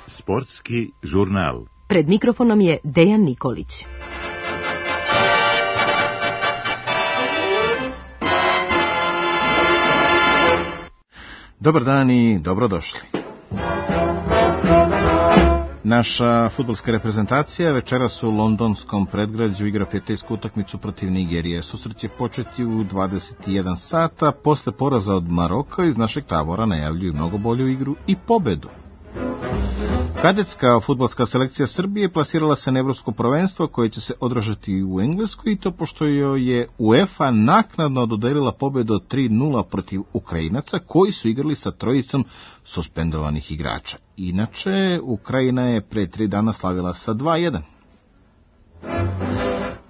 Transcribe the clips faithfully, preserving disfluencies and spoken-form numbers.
Sportski žurnal. Pred mikrofonom je Dejan Nikolić. Dobar dan i dobrodošli. Naša fudbalska reprezentacija večeras u londonskom predgrađu igra prijateljsku utakmicu protiv Nigerije. Susret će početi u dvadeset jedan sata. Posle poraza od Maroka iz našeg tabora najavljuju mnogo bolju igru i pobedu. Kadetska fudbalska selekcija Srbije plasirala se na evropsko prvenstvo koje će se održati u Engleskoj, i to pošto joj je UEFA naknadno dodelila pobedu od tri nula protiv Ukrajinaca koji su igrali sa trojicom suspendovanih igrača. Inače, Ukrajina je pre tri dana slavila sa dva jedan.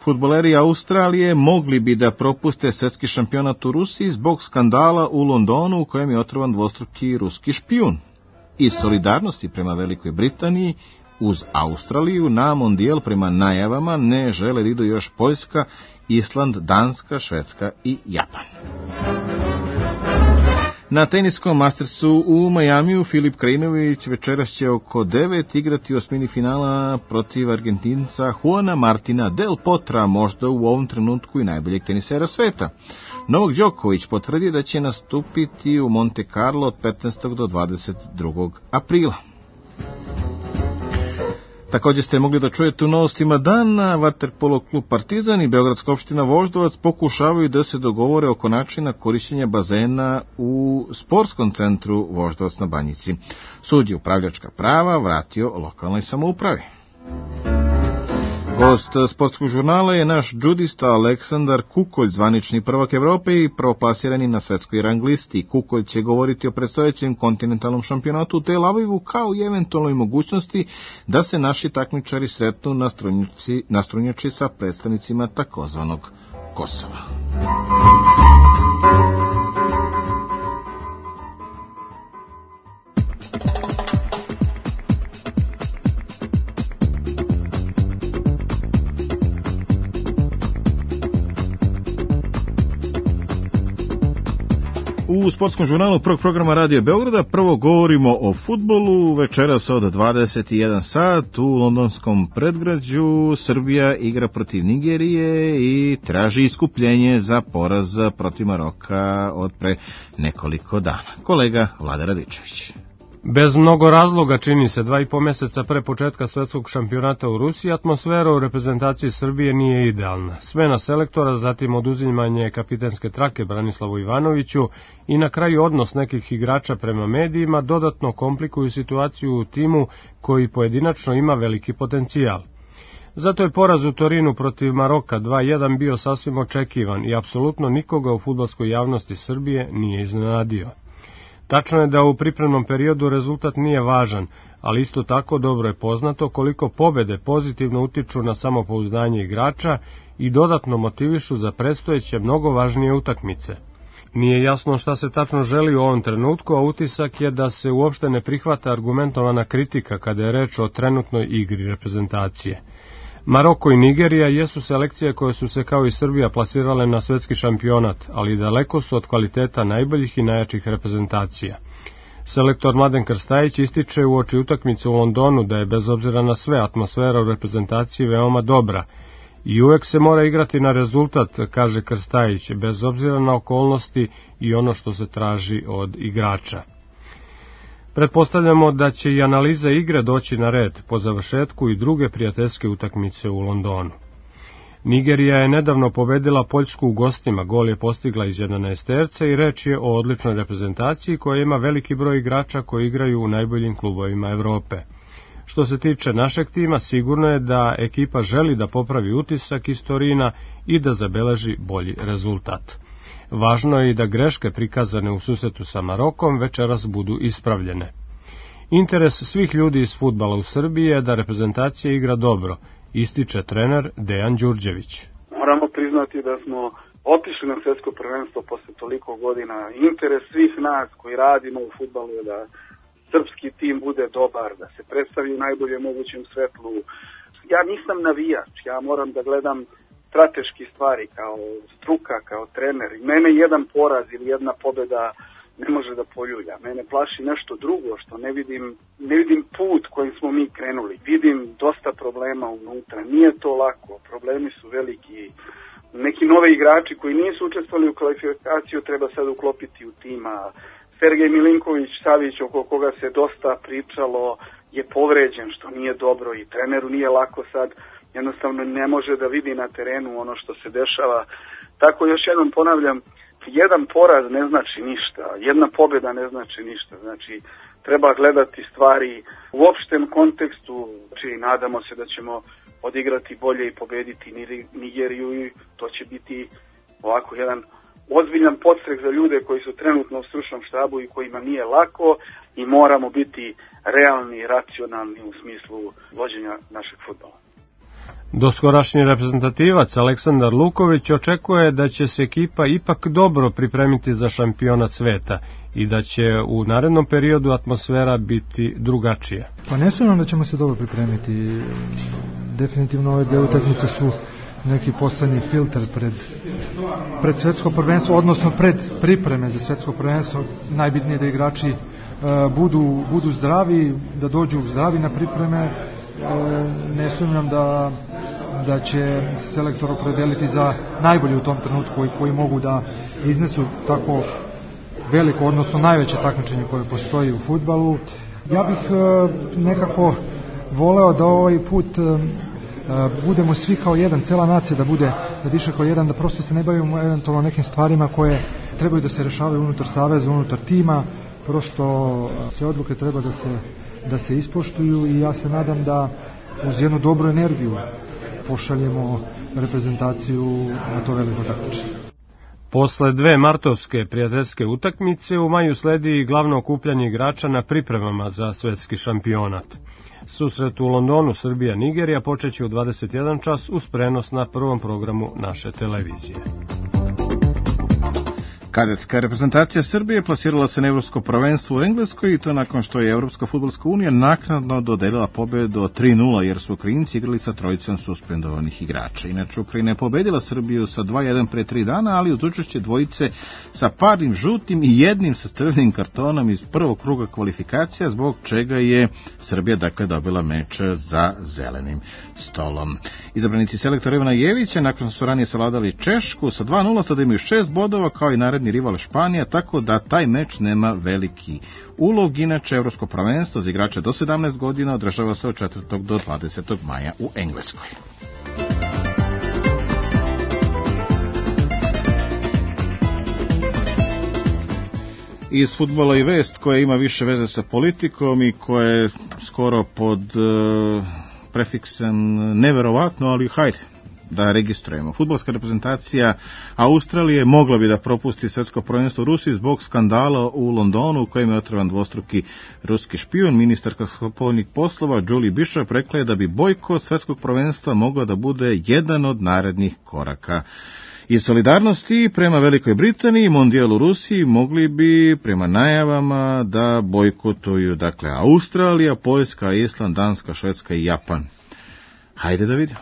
Fudbaleri Australije mogli bi da propuste svetski šampionat u Rusiji zbog skandala u Londonu u kojem je otrovan dvostruki ruski špijun. Iz solidarnosti prema Velikoj Britaniji uz Australiju na mondijal prema najavama ne žele da idu još Poljska, Island, Danska, Švedska i Japan. Na teniskom Mastersu u Majamiju Filip Krajinović večeras će oko devet igrati osmini finala protiv Argentinca Juana Martina del Potra, možda u ovom trenutku i najboljeg tenisera sveta. Novak Đoković potvrdi da će nastupiti u Monte Carlo od petnaestog do dvadeset drugog aprila. Također ste mogli da čujete u novostima dana, Vaterpolo klub Partizan i Beogradska opština Voždovac pokušavaju da se dogovore oko načina korišćenja bazena u sportskom centru Voždovac na Banjici. Sud je upravljačka prava vratio lokalnoj samoupravi. Gost sportskog žurnala je naš džudista Aleksandar Kukolj, zvanični prvak Evrope i prvoplasirani na svetskoj rang listi. Kukolj će govoriti o predstojećem kontinentalnom šampionatu u Tel Avivu kao i eventualnoj mogućnosti da se naši takmičari sretnu na strunjači, na strunjači sa predstavnicima takozvanog Kosova. U sportskom žurnalu prvog programa Radio Beograda prvo govorimo o fudbalu. Večeras od dvadeset jedan sat u londonskom predgrađu Srbija igra protiv Nigerije i traži iskupljenje za poraz protiv Maroka od pre nekoliko dana. Kolega Vlada Radičević. Bez mnogo razloga, čini se, dva i po meseca pre početka svetskog šampionata u Rusiji, atmosfera u reprezentaciji Srbije nije idealna. Smena selektora, zatim oduzimanje kapitenske trake Branislavu Ivanoviću i na kraju odnos nekih igrača prema medijima dodatno komplikuju situaciju u timu koji pojedinačno ima veliki potencijal. Zato je poraz u Torinu protiv Maroka dva jedan bio sasvim očekivan i apsolutno nikoga u fudbalskoj javnosti Srbije nije iznenadio. Tačno je da u pripremnom periodu rezultat nije važan, ali isto tako dobro je poznato koliko pobede pozitivno utiču na samopouzdanje igrača i dodatno motivišu za predstojeće mnogo važnije utakmice. Nije jasno šta se tačno želi u ovom trenutku, a utisak je da se uopšte ne prihvata argumentovana kritika kada je reč o trenutnoj igri reprezentacije. Maroko i Nigerija jesu selekcije koje su se kao i Srbija plasirale na svetski šampionat, ali daleko su od kvaliteta najboljih i najjačih reprezentacija. Selektor Mladen Krstajić ističe uoči utakmice u Londonu da je bez obzira na sve atmosfera u reprezentaciji veoma dobra i uvek se mora igrati na rezultat, kaže Krstajić, bez obzira na okolnosti i ono što se traži od igrača. Pretpostavljamo da će i analiza igre doći na red po završetku i druge prijateljske utakmice u Londonu. Nigerija je nedavno pobedila Poljsku u gostima, gol je postigla iz jedanaesterca i reč je o odličnoj reprezentaciji koja ima veliki broj igrača koji igraju u najboljim klubovima Evrope. Što se tiče našeg tima, sigurno je da ekipa želi da popravi utisak iz Torina i da zabeleži bolji rezultat. Važno je i da greške prikazane u susretu sa Marokom večeras budu ispravljene. Interes svih ljudi iz fudbala u Srbiji je da reprezentacija igra dobro, ističe trener Dejan Đurđević. Moramo priznati da smo otišli na svjetsko prvenstvo posle toliko godina. Interes svih nas koji radimo u fudbalu je da srpski tim bude dobar, da se predstavi u najboljem mogućem svetlu. Ja nisam navijač, ja moram da gledam strateški stvari, kao struka, kao trener. I mene jedan poraz ili jedna pobjeda ne može da poljulja. Mene plaši nešto drugo, što ne vidim, ne vidim put kojim smo mi krenuli. Vidim dosta problema unutra. Nije to lako. Problemi su veliki. Neki nove igrači koji nisu učestvovali u kvalifikaciju treba sad uklopiti u tima. Sergej Milinković Savić, oko koga se dosta pričalo, je povređen, što nije dobro i treneru nije lako sad. Jednostavno ne može da vidi na terenu ono što se dešava. Tako još jednom ponavljam, jedan poraz ne znači ništa, jedna pobjeda ne znači ništa. Znači, treba gledati stvari u opštem kontekstu, znači nadamo se da ćemo odigrati bolje i pobediti Nigeriju i to će biti ovako jedan ozbiljan podstrek za ljude koji su trenutno u stručnom štabu i kojima nije lako i moramo biti realni i racionalni u smislu vođenja našeg fudbala. Doskorašnji reprezentativac Aleksandar Luković očekuje da će se ekipa ipak dobro pripremiti za šampionat sveta i da će u narednom periodu atmosfera biti drugačija. Pa ne sumnjam da ćemo se dobro pripremiti. Definitivno ove dve utakmice su neki poslednji filter pred, pred svetsko prvenstvo, odnosno pred pripreme za svetsko prvenstvo. Najbitnije da igrači e, budu, budu zdravi, da dođu zdravi na pripreme. E, ne sumnjam da, da će selektor opredeliti za najbolje u tom trenutku i koji mogu da iznesu tako veliko, odnosno najveće takmičenje koje postoji u fudbalu. Ja bih e, nekako voleo da ovaj put e, budemo svi kao jedan, cela nacija da bude, da diše kao jedan, da prosto se ne bavimo eventualno nekim stvarima koje trebaju da se rešavaju unutar saveza, unutar tima, prosto sve odluke treba da se, da se ispoštuju i ja se nadam da uz jednu dobru energiju pošaljemo reprezentaciju na to veliko takmičenje. Posle dve martovske prijateljske utakmice u maju sledi glavno okupljanje igrača na pripremama za svetski šampionat. Susret u Londonu Srbija-Nigerija počeće u dvadeset jedan čas uz prenos na prvom programu naše televizije. Kadetska reprezentacija Srbije plasirala se na Evropsko prvenstvo u Engleskoj i to nakon što je Evropska fudbalska unija naknadno dodelila pobedu tri nula jer su Ukrajinci igrali sa trojicom suspendovanih igrača. Inače, Ukrajina je pobedila Srbiju sa dva jedan pre tri dana, ali uz učešće dvojice sa parnim žutim i jednim sa crvenim kartonom iz prvog kruga kvalifikacija, zbog čega je Srbija dakle dobila meč za zelenim stolom. Izabranici selektora Ivana Jevića, nakon što su ranije savladali Češku sa dva nula, sada imaju šest bodova kao i naredni rival Španija, tako da taj meč nema veliki ulog. Inače, Evropsko prvenstvo za igrače do sedamnaest godina održava se od četvrtog do dvadesetog maja u Engleskoj. Iz fudbala i vest koja ima više veze sa politikom i koja je skoro pod uh, prefiksem neverovatno, ali hajde da registrujemo. Fudbalska reprezentacija Australije mogla bi da propusti svetsko prvenstvo u Rusiji zbog skandala u Londonu u kojem je otrovan dvostruki ruski špijun. Ministarka spoljnih poslova Julie Bishop rekla je da bi bojkot svetskog prvenstva mogao da bude jedan od narednih koraka. I solidarnosti prema Velikoj Britaniji, mondijal u Rusiji mogli bi prema najavama da bojkotuju dakle Australija, Poljska, Island, Danska, Švedska i Japan. Hajde da vidimo.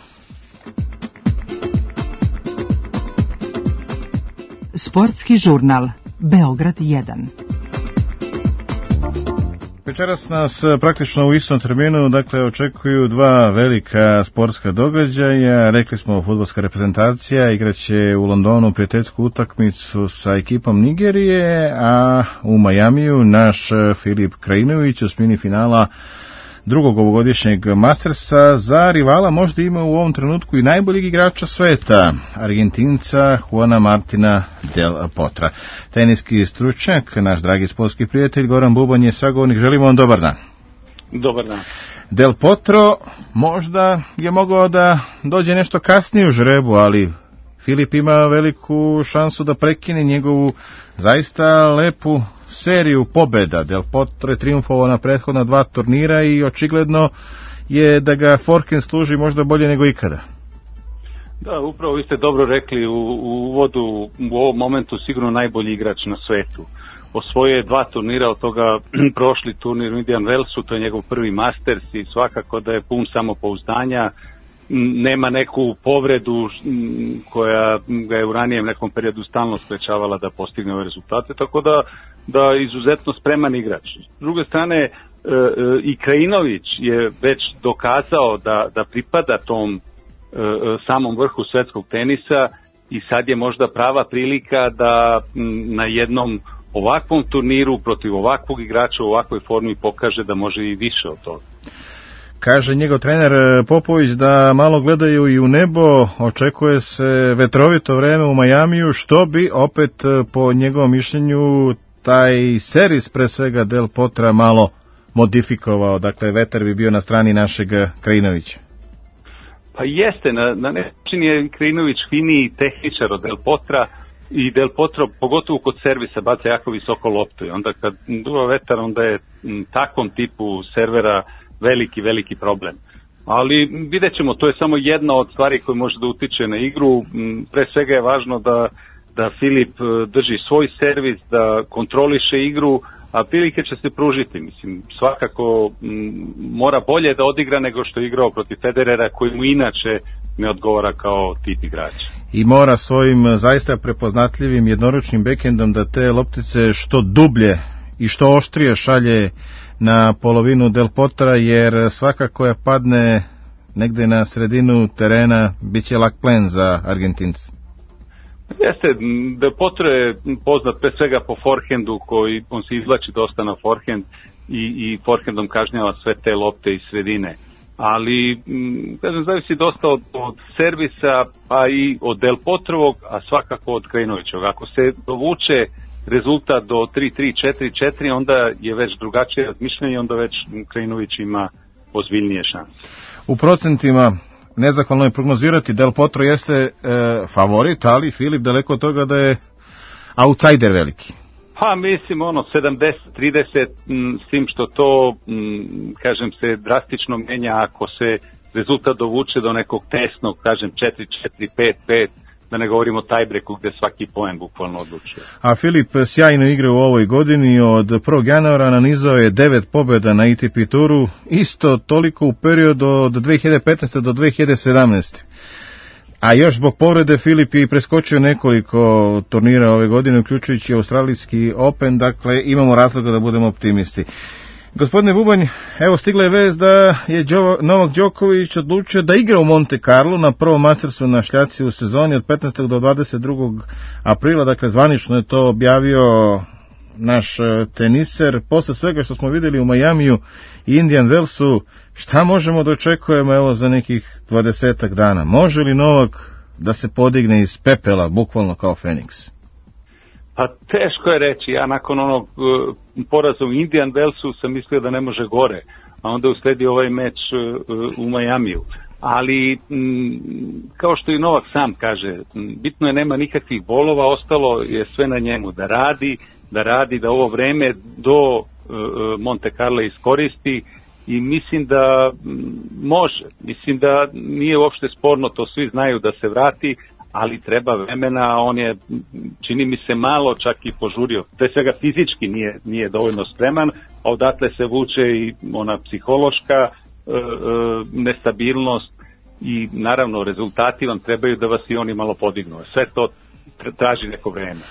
Sportski žurnal Beograd jedan. Večeras nas praktično u istom terminu dakle očekuju dva velika sportska događaja. Rekli smo, fudbalska reprezentacija igraće u Londonu prijateljsku utakmicu sa ekipom Nigerije, a u Majamiju naš Filip Krajinović u osmini finala drugog ovogodišnjeg Mastersa za rivala možda ima u ovom trenutku i najboljeg igrača sveta, Argentinca Juana Martina Del Potra. Teniski stručnjak, naš dragi sportski prijatelj Goran Bubanj je sagovornik. Želimo vam dobar dan. Dobar dan. Del Potro možda je mogao da dođe nešto kasnije u žrebu, ali Filip ima veliku šansu da prekine njegovu zaista lepu seriju pobeda. Del Potro je triumfovao na prethodna dva turnira i očigledno je da ga forehand služi možda bolje nego ikada. Da, upravo vi ste dobro rekli u, u uvodu, u ovom momentu sigurno najbolji igrač na svetu. Osvojio je dva turnira, od toga prošli turnir u Indian Wellsu, to je njegov prvi Masters i svakako da je pun samopouzdanja nema neku povredu koja ga je u ranijem nekom periodu stalno sprečavala da postigne ove rezultate, tako da, da izuzetno spreman igrač. S druge strane, i Krajinović je već dokazao da, da pripada tom samom vrhu svetskog tenisa i sad je možda prava prilika da na jednom ovakvom turniru protiv ovakvog igrača u ovakvoj formi pokaže da može i više od toga. Kaže njegov trener Popović da malo gledaju i u nebo, očekuje se vetrovito vreme u Majamiju, što bi opet po njegovom mišljenju taj servis pre svega Del Potra malo modifikovao, dakle vetar bi bio na strani našeg Krajinovića. Pa jeste, na, na način je Krajinović finiji tehničar od Del Potra i Del Potro, pogotovo kod servisa, baca jako visoko loptu i onda kad duva vetar, onda je m, takvom tipu servera veliki, veliki problem. Ali vidjet ćemo, to je samo jedna od stvari koje može da utiče na igru. Pre svega je važno da, da Filip drži svoj servis, da kontroliše igru, a prilike će se pružiti. Mislim, svakako m, mora bolje da odigra nego što je igrao protiv Federera, koji mu inače ne odgovara kao tip igrača. I mora svojim zaista prepoznatljivim jednoručnim bekendom da te loptice što dublje i što oštrije šalje na polovinu Del Potra, jer svaka koja padne negde na sredinu terena bit će lak plen za Argentince. Jeste, Del Potro je poznat pre svega po forehandu, koji on se izvlači dosta na forehand i, i forehandom kažnjava sve te lopte iz sredine. Ali, kažem, zavisi dosta od, od servisa, pa i od Del Potrovog, a svakako od Krajinovićevog. Ako se dovuče rezultat do tri tri, četiri četiri, onda je već drugačije razmišljanje, onda već Krajinović ima ozbiljnije šanse. U procentima nezahvalno je prognozirati, Del Potro jeste e, favorit, ali Filip daleko od toga da je outsider veliki. Pa mislim ono sedamdeset trideset, s tim što to, m, kažem, se drastično menja ako se rezultat dovuče do nekog tesnog, kažem četiri četiri, pet pet, da ne govorimo o tiebreaku gde svaki poen bukvalno odlučuje. A Filip sjajno igra u ovoj godini, od prvog januara nanizao je devet pobjeda na A T P turu, isto toliko u periodu od dve hiljade petnaeste do dve hiljade sedamnaeste. A još zbog povrede Filip je preskočio nekoliko turnira ove godine, uključujući Australijski Open, dakle imamo razloga da budemo optimisti. Gospodine Bubanj, evo stigla je vest da je Novak Đoković odlučio da igra u Monte Carlo na prvom Mastersu na šljaci u sezoni od petnaestog do dvadeset drugog aprila, dakle zvanično je to objavio naš teniser. Posle svega što smo videli u Majamiju i Indian Wellsu, šta možemo da očekujemo evo za nekih dvadesetak dana? Može li Novak da se podigne iz pepela, bukvalno kao Feniks? Pa teško je reći, ja nakon onog uh, poraza u Indian Wellsu sam mislio da ne može gore, a onda usledi ovaj meč uh, u Majamiju. Ali, m, kao što i Novak sam kaže, m, bitno je nema nikakvih bolova, ostalo je sve na njemu, da radi, da radi, da ovo vreme do uh, Monte Carlo iskoristi i mislim da m, može, mislim da nije uopšte sporno, to svi znaju da se vrati, ali treba vremena, on je, čini mi se, malo čak i požurio. Pre svega fizički nije, nije dovoljno spreman, a odatle se vuče i ona psihološka e, e, nestabilnost i naravno rezultati vam trebaju da vas i oni malo podignu. Sve to traži neko vreme.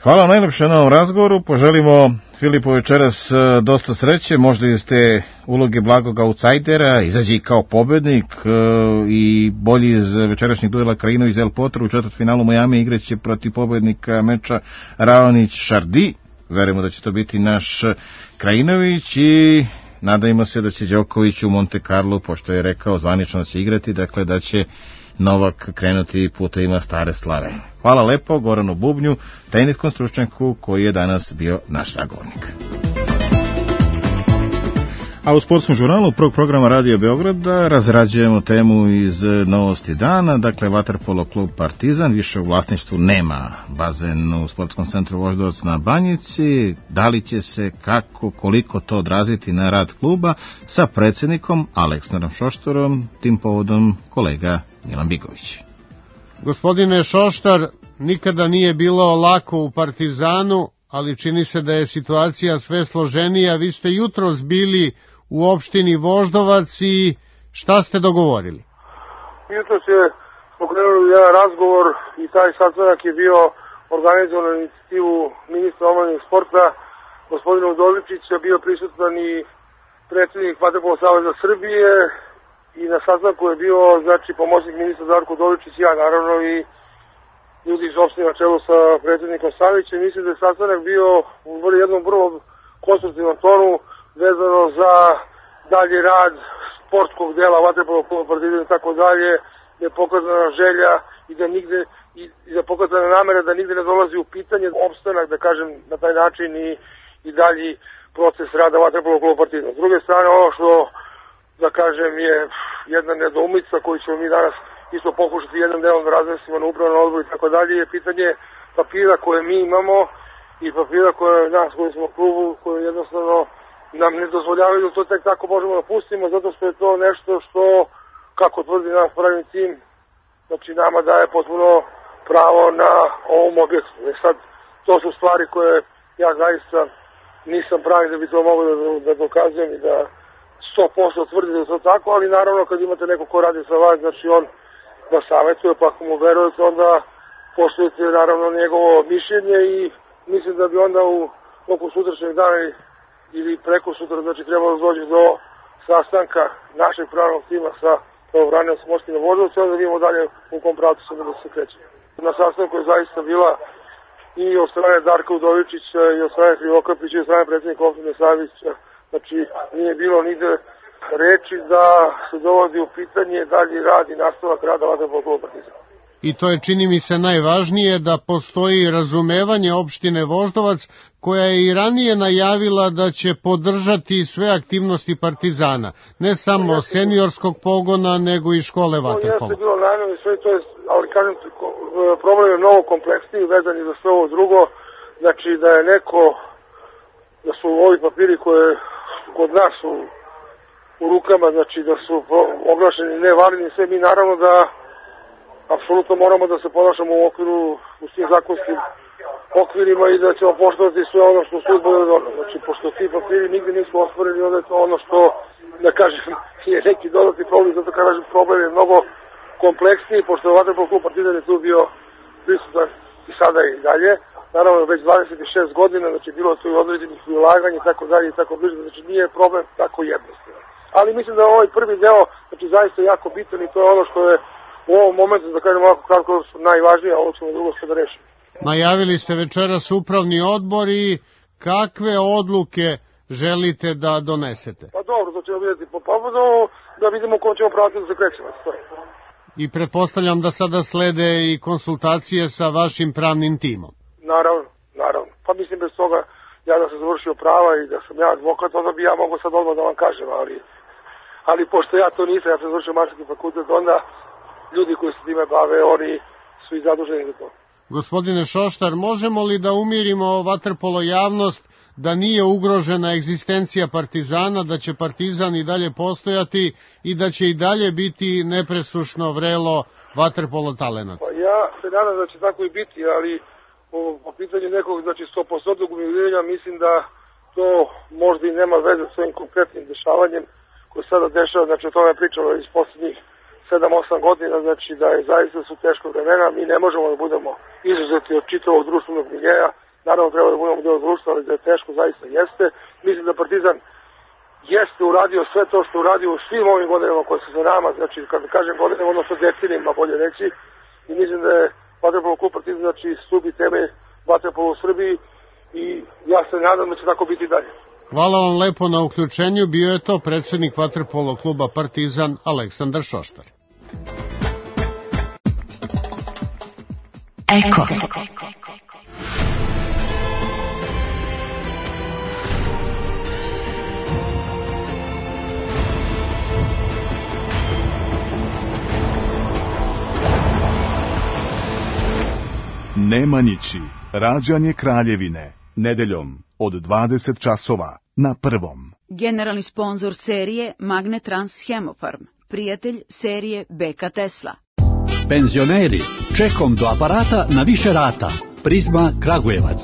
Hvala najlepše na ovom razgovoru, poželimo Filipu večeras dosta sreće, možda iz te uloge blagog outsidera, izađi kao pobednik i bolji iz večerašnjeg duela Krajinović Del Potro u četvrtfinalu Miami igraće protiv pobednika meča Raonić-Chardy. Verujemo da će to biti naš Krajinović i nadajmo se da će Đoković u Monte Carlo, pošto je rekao zvanično da će igrati, dakle da će Novak krenuti putevima stare slave. Hvala lepo Goranu Bubnju, teniskom stručnjaku koji je danas bio naš sagovornik. A u sportskom žurnalu prvog programa Radio Beograda razrađujemo temu iz novosti dana, dakle vaterpolo klub Partizan više u vlasništvu nema bazen u sportskom centru Voždovac na Banjici. Da li će se, kako, koliko to odraziti na rad kluba, sa predsjednikom Aleksandrom Šoštarom, tim povodom kolega Milan Bigović. Gospodine Šoštar, nikada nije bilo lako u Partizanu, ali čini se da je situacija sve složenija. Vi ste jutros bili u opštini Voždovac i šta ste dogovorili? jutros je pokrenuli jedan razgovor i taj sastanak je bio organizovan na inicijativu ministra omladine sporta, gospodina Udovičića, bio prisutan i predsjednik Vaterpolo saveza Srbije i na sastanku je bio, znači, pomoćnik ministra Darko Udovičić i ja, naravno, i ljudi iz opštine na čelu sa predsjednikom Savićem. Mislim da je sastanak bio u jednom vrlo konstruktivnom tonu vezano za dalji rad sportskog dela Vaterpolo kluba Partizan i tako dalje, da je pokazana želja i da nigde i, i da pokazana namera da nigde ne dolazi u pitanje opstanak, da kažem, na taj način i, i dalji proces rada Vaterpolo kluba Partizan. S druge strane, ono što, da kažem, je jedna nedoumica koju ćemo mi danas isto pokušati jednom delom da razmislimo na upravnom odboru i tako dalje, je pitanje papira koje mi imamo i papira koje nas koji smo u klubu, koje jednostavno nam ne dozvoljavaju da to tek tako možemo da pustimo, zato što je to nešto što, kako tvrdi naš pravni tim, znači nama daje potpuno pravo na ovom objektu. E sad, to su stvari koje ja zaista nisam pravi da bi to mogao da, da dokazujem i da sto posto tvrdi da je to tako, ali naravno kad imate neko ko radi sa vas, znači on da savjetuje, pa ako mu verujete, onda poštujete naravno njegovo mišljenje i mislim da bi onda u toku sutrašnjeg dana ili preko sutra, znači trebalo doći do sastanka našeg pravnog tima sa pravobranilom Morskim Voždovcem, onda vidimo dalje u kom pravcu se da se kreće. Na sastanku je zaista bila i od strane Darka Udovičića i od strane Krivokapića i od strane predsjednika opštine Savića, znači nije bilo nigde reči da se dovodi u pitanje dalji rad i nastavak rada Vaterpolo kluba Partizan. I to je, čini mi se, najvažnije, da postoji razumevanje opštine Voždovac, koja je i ranije najavila da će podržati sve aktivnosti Partizana, ne samo seniorskog pogona, nego i škole Vaterpola. To jeste bilo najavljeno sve, to je, ali kažem, problem je mnogo kompleksniji, vezan i za sve ovo drugo, znači da je neko, da su ovi papiri koje kod nas su u rukama, znači da su oglašeni nevalidni, sve mi naravno da apsolutno moramo da se ponašamo u okviru, u svim zakonskim okvirima i da ćemo poštovati sve ono što sud bude donao. Znači, pošto ti papiri nigde nisu ostvoreni, onda je to ono što, da kažem, je neki dodatni problem, zato kažem, problem je mnogo kompleksniji, pošto je Vaterpolo klub Partizan je tu bio prisutan i sada i dalje. Naravno, već dvadeset šest godina, znači bilo tu i određenih ulaganja i tako dalje i tako bliže, znači nije problem tako jednostavno. Ali mislim da ovaj prvi deo, znači zaista jako bitan i to je ono što je u ovom momentu, da kažem ovako kratko, najvažnije, a ovo ćemo drugo što da rešimo. Najavili ste večeras upravni odbor i kakve odluke želite da donesete? Pa dobro, to ćemo vidjeti po povodu, da vidimo kom ćemo pravati da se krećemo. I pretpostavljam da sada slede i konsultacije sa vašim pravnim timom. Naravno, naravno. Pa mislim bez toga, ja da sam završio prava i da sam ja advokat, onda bi ja mogo sad odmah da vam kažem, ali, ali pošto ja to nisam, ja sam završio mašinski fakultet, onda ljudi koji se time bave, oni su i zaduženi za to. Gospodine Šoštar, možemo li da umirimo vaterpolo javnost da nije ugrožena egzistencija Partizana, da će Partizan i dalje postojati i da će i dalje biti nepresušno vrelo vaterpolo talenata? Pa ja se nadam da će tako i biti, ali po, po pitanju nekog, znači sto posto umirovljenja, mislim da to možda i nema veze s ovim konkretnim dešavanjem koje sada dešava, znači o tome pričalo iz posljednjih sedam osam godina, znači da je zaista su teško vremena, mi ne možemo da budemo izuzeti od čitavog društvenog miljeja, naravno treba da budemo deo društva, ali da je teško zaista jeste. Mislim da Partizan jeste uradio sve to što uradio u svim ovim godinama koje su za nama, znači kada kažem godinama, odnosno decenijima bolje reći, i mislim da je Vaterpolo klub Partizan, znači stubi temelj vaterpola u Srbiji i ja se nadam da će tako biti dalje. Hvala vam lepo na uključenju, bio je to predsjednik vaterpolo kluba Partizan Aleksandar Šoštar. Eko. Nemanjići, rađanje kraljevine, nedeljom od dvadeset časova na Prvom. Generalni sponzor serije Magnetrans Hemofarm, prijatelj serije B K Tesla. Penzioneri, čekom do aparata na više rata. Prizma Kragujevac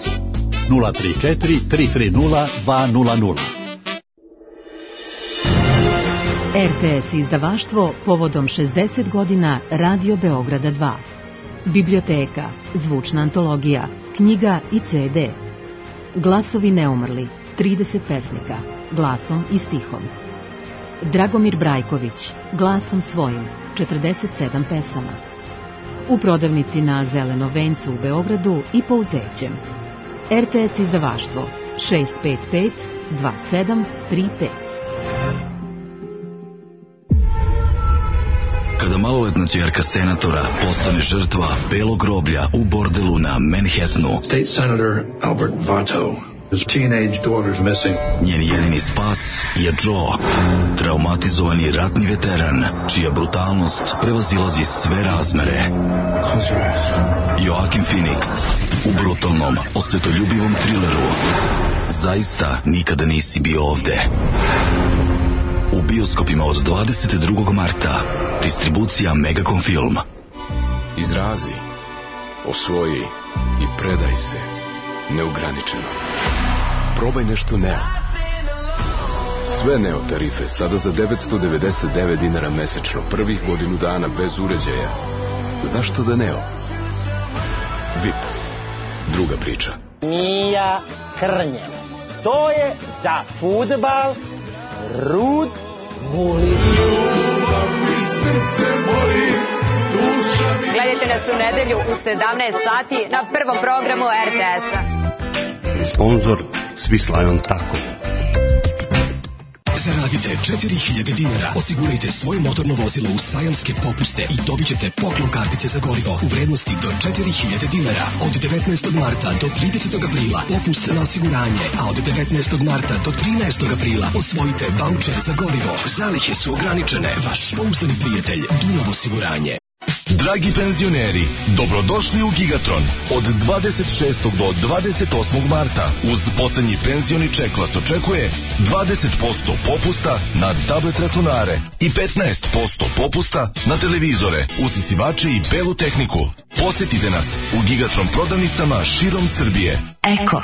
nula tri četiri tri tri nula dva nula nula. R T S izdavaštvo povodom šezdeset godina Radio Beograda dva. Biblioteka, zvučna antologija, knjiga i ce de. Glasovi neumrli, trideset pesnika, glasom i stihom. Dragomir Brajković, glasom svojim, četrdeset sedam pesama. U prodavnici na Zelenom vencu u Beogradu i Pouzećem. R T S izdavaštvo šest pet pet dva sedam tri pet. Kada maloletna ćerka senatora postane žrtva belog groblja u bordelu na Manhattanu, State Senator Albert Vato, his teenage daughter's missing. Njen jedini spas je Joe, traumatizovani ratni veteran, čija brutalnost prevazilazi sve razmere. Joaquin Phoenix u brutalnom, osvetoljubivom trileru Zaista nikada nisi bio ovde. U bioskopima od dvadeset drugog marta. Distribucija Megacom Film. Izrazi, osvoji i predaj se neograničeno. Probaj nešto Neo. Sve Neo tarife sada za devetsto devedeset devet dinara mesečno, prvih godinu dana bez uređaja. Zašto da Neo? V I P. Druga priča. Mija Krnjevac. To je za fudbal Rud Bulin. Gledajte nas u nedelju u sedamnaest sati na prvom programu er te es-a. Sponzor Swislion Tako. Zaradite četiri hiljade dinara, osigurajte svoje motorno vozilo u sajamske popuste i dobit ćete poklon kartice za gorivo u vrednosti do četiri hiljade dinara. Od devetnaestog marta do tridesetog aprila popust na osiguranje, a od devetnaestog marta do trinaestog aprila osvojite vaučer za gorivo. Zalihe su ograničene. Vaš pouzdani prijatelj Dunav osiguranje. Dragi penzioneri, dobrodošli u Gigatron od dvadeset šestog do dvadeset osmog marta. Uz poslednji penzioni ček vas očekuje dvadeset posto popusta na tablet računare i petnaest posto popusta na televizore, usisivače i belu tehniku. Posetite nas u Gigatron prodavnicama širom Srbije. Eko.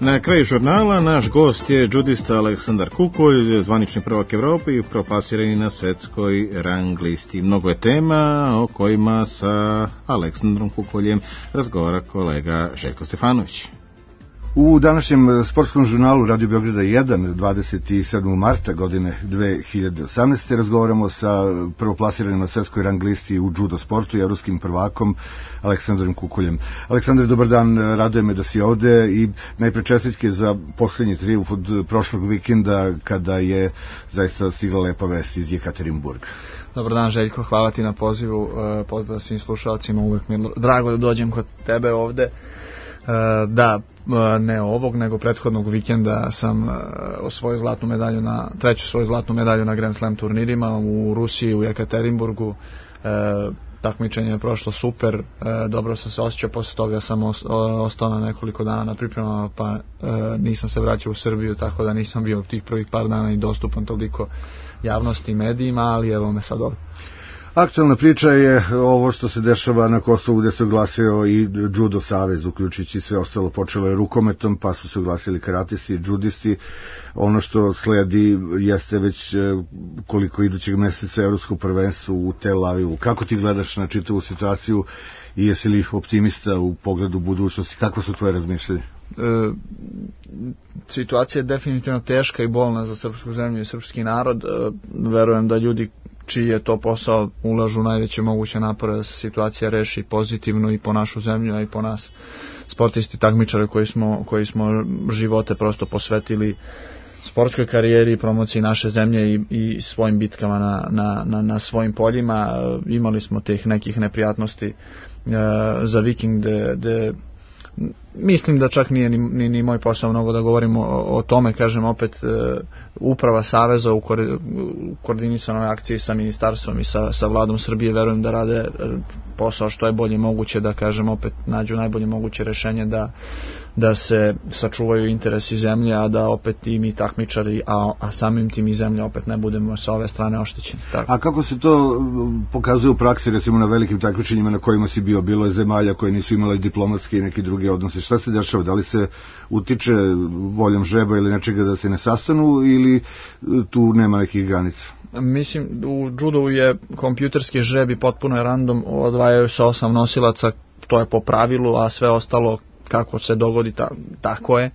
Na kraju žurnala naš gost je džudista Aleksandar Kukolj, zvanični prvak Evrope i proplasirani na svetskoj rang listi. Mnogo je tema o kojima sa Aleksandrom Kukoljem razgovara kolega Željko Stefanović. U današnjem sportskom žurnalu Radio Beograda jedan, dvadeset sedmog marta godine dve hiljade osamnaeste. razgovaramo sa prvoplasiranim na svetskoj rang listi u judo sportu i evropskim prvakom Aleksandrom Kukoljem. Aleksandar, dobar dan, raduje me da si ovde i najpre čestitke za poslednji trijumf od prošlog vikenda kada je zaista stigla lepa vest iz Jekaterinburga. Dobar dan, Željko, hvala ti na pozivu, pozdrav svim slušalcima, uvek mi je drago da dođem kod tebe ovde. Da, ne ovog, nego prethodnog vikenda sam osvojio zlatnu medalju na, treću svoju zlatnu medalju na Grand Slam turnirima u Rusiji, u Jekaterinburgu. Takmičenje je prošlo super, dobro sam se osjećao, posle toga sam ostao na nekoliko dana na pripremama, pa nisam se vraćao u Srbiju, tako da nisam bio tih prvih par dana i dostupan toliko javnosti i medijima, ali evo me sad ovdje. Aktualna priča je ovo što se dešava na Kosovu, gde se oglasio i Judo savez, uključujući sve ostalo. Počelo je rukometom, pa su se oglasili karatisti i judisti. Ono što sledi jeste već koliko idućeg meseca evropsko prvenstvo u Tel Avivu. Kako ti gledaš na čitavu situaciju i jesi li optimista u pogledu budućnosti? Kako su tvoje razmišljanje? E, situacija je definitivno teška i bolna za srpsku zemlju i srpski narod. E, verujem da ljudi čiji je to posao ulažu najveće moguće napore da se situacija reši pozitivno i po našu zemlju, a i po nas sportisti, takmičare koji smo, koji smo živote prosto posvetili sportskoj karijeri i promociji naše zemlje i, i svojim bitkama na, na, na, na svojim poljima. Imali smo teh nekih neprijatnosti e, za vikend gde, gde mislim da čak nije ni, ni, ni moj posao mnogo da govorimo o, o tome, kažem opet, e, uprava Saveza u, ko, u koordinisanoj akciji sa ministarstvom i sa, sa vladom Srbije, verujem da rade posao što je bolje moguće, da kažem opet nađu najbolje moguće rešenje da, da se sačuvaju interesi zemlje, a da opet i mi takmičari, a, a samim tim i zemlja opet ne budemo sa ove strane oštećeni. Tako. A kako se to pokazuje u praksi, recimo na velikim takmičenjima na kojima si bio? Bilo je zemalja koje nisu imale diplomatske i neke druge odnose šta se dešava? Da li se utiče voljom žreba ili nečega da se ne sastanu ili tu nema nekih granica? Mislim, u judu je kompjuterski žreb i potpuno je random, odvajaju se osam nosilaca, to je po pravilu, a sve ostalo kako se dogodi, ta, tako je. E,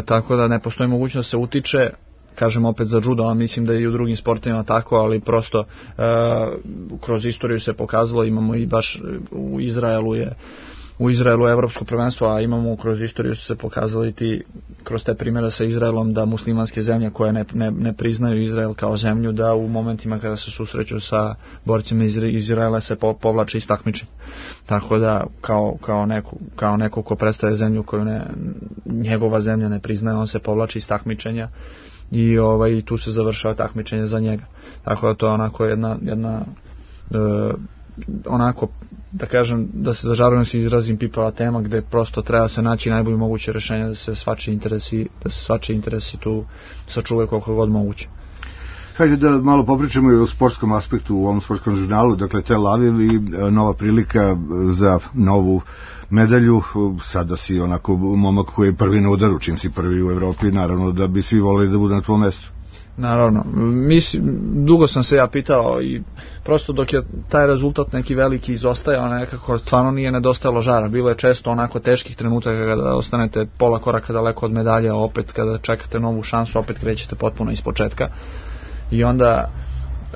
tako da ne postoji mogućnost da se utiče, kažem opet za judo, a mislim da je i u drugim sportovima tako, ali prosto e, kroz istoriju se pokazalo, imamo i baš u Izraelu je u Izraelu evropsko prvenstvo, a imamo kroz istoriju su se pokazali ti, kroz te primjere sa Izraelom, da muslimanske zemlje koje ne, ne, ne priznaju Izrael kao zemlju, da u momentima kada se susreću sa borcima iz Izraela se po, povlače iz takmičenja. Tako da kao, kao, neko, kao neko ko predstavlja zemlju koju ne, njegova zemlja ne priznaje, on se povlači iz takmičenja i ovaj, tu se završava takmičenje za njega. Tako da to je onako jedna, jedna e, onako, da kažem, da se zažarujem se izrazim pipava tema gde prosto treba se naći najbolje moguće rešenje da se svačiji interesi, da se svačiji interesi tu sačuvaju koliko god moguće. Hajde da malo popričamo i o sportskom aspektu u ovom sportskom žurnalu, dakle Tel Aviv i nova prilika za novu medalju, sada si onako momak koji je prvi na udaru, čim si prvi u Evropi, naravno da bi svi volili da budu na tvojom mestu. Naravno, mislim, dugo sam se ja pitao i prosto dok je taj rezultat neki veliki izostajao, nekako stvarno nije nedostajalo žara, bilo je često onako teških trenutaka kada ostanete pola koraka daleko od medalje, a opet kada čekate novu šansu, opet krećete potpuno iz početka i onda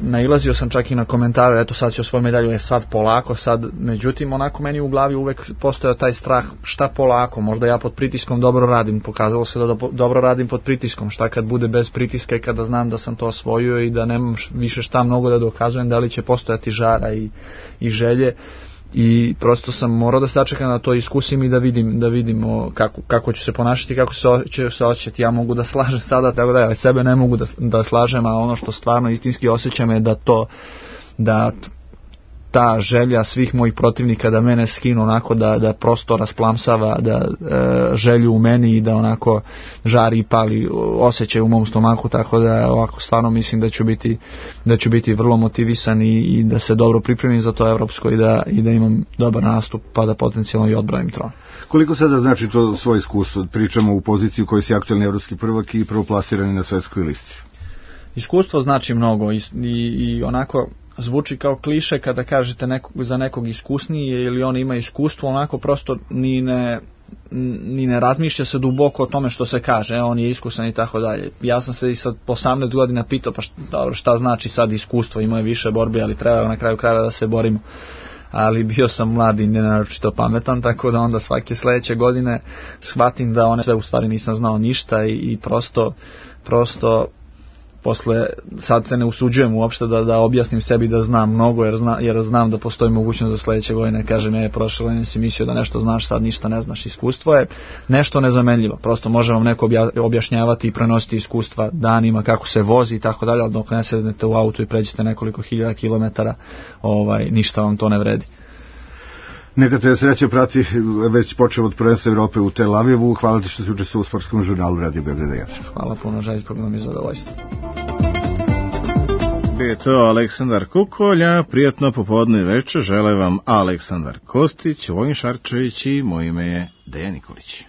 nailazio sam čak i na komentare, eto sad će osvoj medalju, je sad polako, sad, međutim onako meni u glavi uvek postojao taj strah, šta polako, možda ja pod pritiskom dobro radim, pokazalo se da dobro radim pod pritiskom, šta kad bude bez pritiska i kada znam da sam to osvojio i da nemam više šta mnogo da dokazujem, da li će postojati žara i, i želje, i prosto sam morao da sačekam da to iskusim i da vidim, da vidimo kako, kako ću se ponašati, kako će se osjećati. Ja mogu da slažem sada, tako da, ali sebe ne mogu da, da slažem, a ono što stvarno istinski osjećam je da to, da ta želja svih mojih protivnika da mene skinu onako, da, da prosto rasplamsava da e, želju u meni i da onako žari i pali osjećaj u mom stomaku, tako da ovako stvarno mislim da ću biti, da ću biti vrlo motivisan i, i da se dobro pripremim za to evropsko i da, i da imam dobar nastup pa da potencijalno i odbranim tron. Koliko sada znači to svoje iskustvo? Pričamo u poziciji u kojoj si aktualni evropski prvak i prvoplasirani na svetskoj listi. Iskustvo znači mnogo i, i, i onako zvuči kao kliše kada kažete nekog, za nekog iskusniji ili on ima iskustvo, onako prosto ni ne, ni ne razmišlja se duboko o tome što se kaže, on je iskusan i tako dalje. Ja sam se i sad po osamnaest godina pitao, pa šta, dobro, šta znači sad iskustvo, imao je više borbe, ali treba na kraju krajeva da se borimo. Ali bio sam mlad i nenaročito pametan, tako da onda svake sledeće godine shvatim da one sve u stvari nisam znao ništa i, i prosto, prosto posle, sad se ne usuđujem uopšte da, da objasnim sebi da znam mnogo, jer, zna, jer znam da postoji mogućnost da sledeće godine kažem, je, prošle godine si mislio da nešto znaš, sad ništa ne znaš. Iskustvo je nešto nezamenljivo, prosto može vam neko objašnjavati i prenositi iskustva danima kako se vozi i tako dalje, ali dok ne sednete u auto i pređete nekoliko hiljada kilometara, ovaj, ništa vam to ne vredi. Neka te sreće prati, već počeo od prvenstva Evrope u Tel Avivu. Hvala ti što si učestvovao u sportskom žurnalu Radio Beograda jedan. Hvala puno, Željko, bilo mi je zadovoljstvo. Bio je to Aleksandar Kukolja, prijatno popodne večer, žele vam Aleksandar Kostić, Vojin Šarčević i moje ime je Dejan Nikolić.